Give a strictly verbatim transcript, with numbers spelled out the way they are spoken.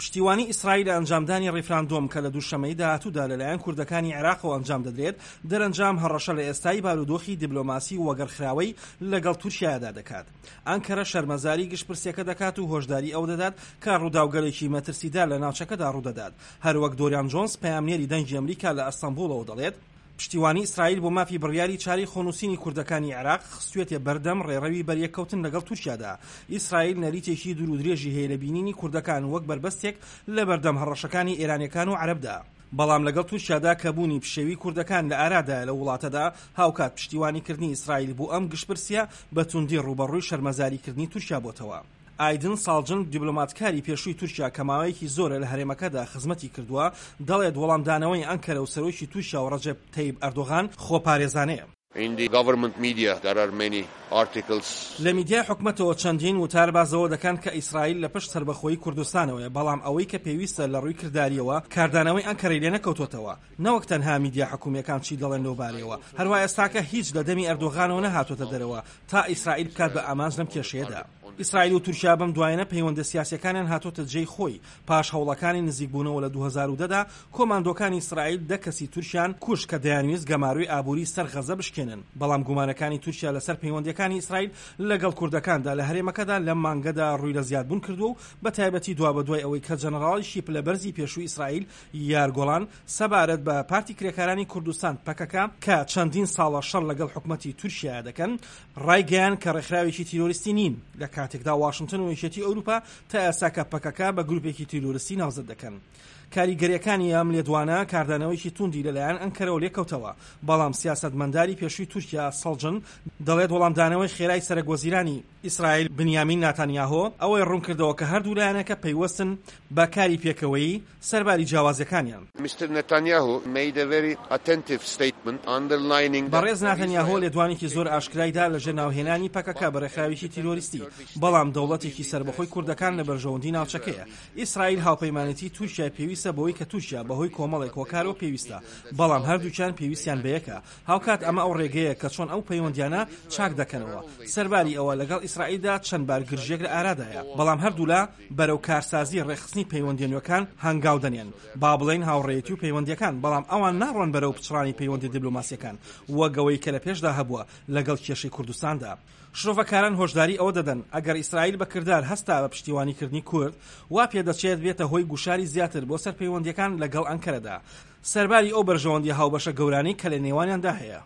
پشتیوانی ئیسرائیل لە ئەنجامدانی ڕیفراندۆم کە لە دووشەممەی داهاتوودا لەلایەن کوردەکانی عێراقەوە ئەنجام دەدرێت، دەرەنجام هەڕەشە لە ئێستای بارودۆخی دیبلۆماسی وەگەڕخراوەی لەگەڵ تورکیادا دەکات. ئەنکەرە شەرمەزاری گشتپرسیەکە دەکات و هۆشداری ئەو دەدات کە ڕووداوگەلێکی مەترسیدار لە ناوچەکەدا ڕوودەدات. هەروەک دۆریان جۆنس، پەیامنێری دەنگی ئەمریکا لە ئەستەنبوڵەوە دەڵێت، پشتیوانی ئیسرائیل بۆ مافی بڕیاری چاری خۆنووسینی کوردەکانی عێراق خستوێتێ بەردەم ڕێڕەوی بەریەککەوتن لەگەڵ تورکیادا. ئیسرائیل نەریتێکی دوور و درێژی هەیە لە بینینی کوردەکان وەک بەربەستێک لە بەردەم هەڕەشەکانی ئێرانیەکان و عەرەبدا، بەڵام لەگەڵ تورکیادا کە بوونی پشێوی کوردەکان لە ئارادایە لە وڵاتەدا، هاوکات پشتیوانیکردنی ئیسرائیل بۆ ئەم گشتپرسیە بە توندی ڕووبەڕووی شەرمەزاریکردنی تورکیا بۆتەوە. ئایدن ساڵجن، دیبلۆماتکاری پێشووی تورکیا کە ماوەیەکی زۆرە لە هەرێمەکەدا خزمەتی کردووە، دەڵێت وەڵامدانەوەی ئەنکەرە و سەرۆکی تورکیا و ڕەجەب تەیب ئەردۆغان خۆپارێزانەیە. In the government media there are many articles. لە میدیای حکومەتەوە چەندین وتار باسەوە دەکەن کە ئیسرائیل لە پشت سەربەخۆیی کوردستانەوەیە، بەڵام ئەوەی کە پێویستە لە ڕووی کرداریەوە کاردانەوەی ئەنکەرەی لێ نەکەوتۆتەوە، نەوەک تەنها میدیا حکومیەکان چی دەڵێن لەو بارەیەوە. هەروە ئێستاکە هیچ لە دەمی ئەردۆغانەوە نەهاتۆتە دەرەوە تا ئیسرائیل بکات بە ئامانج لەم کێشەیەدا. ئیسرائیل و تورکیا بەم دوایەنە پەیوەندە سیاسیەکانیان هاتۆتە جێی خۆی پاش هەوڵەکانی نزیکبوونەوە. لە دوو هەزار و دە دا کۆماندۆکانی ئیسرائیل دە کەسی تورکیان کوشت کە دەیانویست گەمارۆی ئابووری سەر غەزە بشکێنن. بەڵام گومانەکانی تورکیا لەسەر پەیوەندیەکانی ئیسرائیل لەگەڵ کوردەکاندا لە هەرێمەکەدا لەم مانگەدا ڕووی لە زیادبوون کردووە و بە تایبەتی دوابەدوای ئەوەی کە جەنەڕاڵیشی پلەبەرزی پێشووی ئیسرائیل یائیر گۆڵان سەبارەت بە پارتی کرێکارانی کوردستان پەکەکە کە چەندین ساڵە شەڕ لەگەڵ حکوومەتی تورکیا دەکەن ڕایگەیان کە ڕێکخراوێکی تیرۆریستی نین، لە کاتێکدا واشنگتن و یەکێتی ئەوروپا تا ئێستاکە پەکەکە بە گروپێکی تیرۆریستی ناوزەد دەکەن. کاریگەریەکانی ئەم لێدوانە کاردانەوەیکی توندی لەلایەن ئەنکەرەوە لێکەوتەوە، بەڵام سیاسەتمەنداری پێشووی تورکیا سەڵجن دەڵێت وەڵامدانەوەی خێرای سەرەک وەزیرانی ئیسرائیل بنیامین ناتانیاهۆ ئەوەی ڕوونکردەوە کە هەردوو لایەنەکە پەیوەستن بە کاری پێکەوەیی سەرباری جیاوازیەکانیان. Mister Netanyahu made a very attentive statement underlining بەڕێز ناتەنیاهۆ لێدوانێکی زۆر ئاشکرایدا لە ژێر ناوهێنانی پەکەکە بە ڕێکخراوێکی تیرۆریستی، بەڵام دەوڵەتێکی سەربەخۆی کوردەکان لە بەرژەوەندی ناوچەکەیە. ئیسرائیل هاوپەیمانێتی تورکیا پێویستە بەوەی کە تورکیا بەهۆی کۆمەڵێک هۆکارەوە پێویستە، بەڵام هەردووکیان پێویستیان بەیەکە. هاوکات ئەمە ئەو ڕێگەیە کە چۆن ئەو پەیوەندیانە چاک دەکەنەوە. سەرباری ئەوە لەگەڵ ئیسرائیلدا چەند بارگرژیەک لە ئارادایە، بەڵام هەردوولا بەرەو کارسازی ڕێکخستنی پەیوەندی نوێکان هەنگاو دەنێن، با بڵێن هاوڕێیەتی و پەیوەندیەکان، بەڵام ئەوان ناڕۆن بەرەو پچڕانی پەیوەندی دیبلۆماسیەکان وەک ئەوەی کە لە پێشدا هەبووە لەگەڵ کێشەی کوردستاندا. شرۆڤەکاران هۆشداری ئەوە دەدەن ئەگەر ئیسرائیل بەکردار هەستا بە پشتیوانیکردنی کورد، وا پێدەچێت بێتە هۆی گوشاری زیاتر بۆ سەر پەیوەندیەکان لەگەڵ ئەنکەرەدا، سەرباری ئەو بەرژەوەندی هاوبەشە گەورانەی کە لە نێوانیاندا هەیە.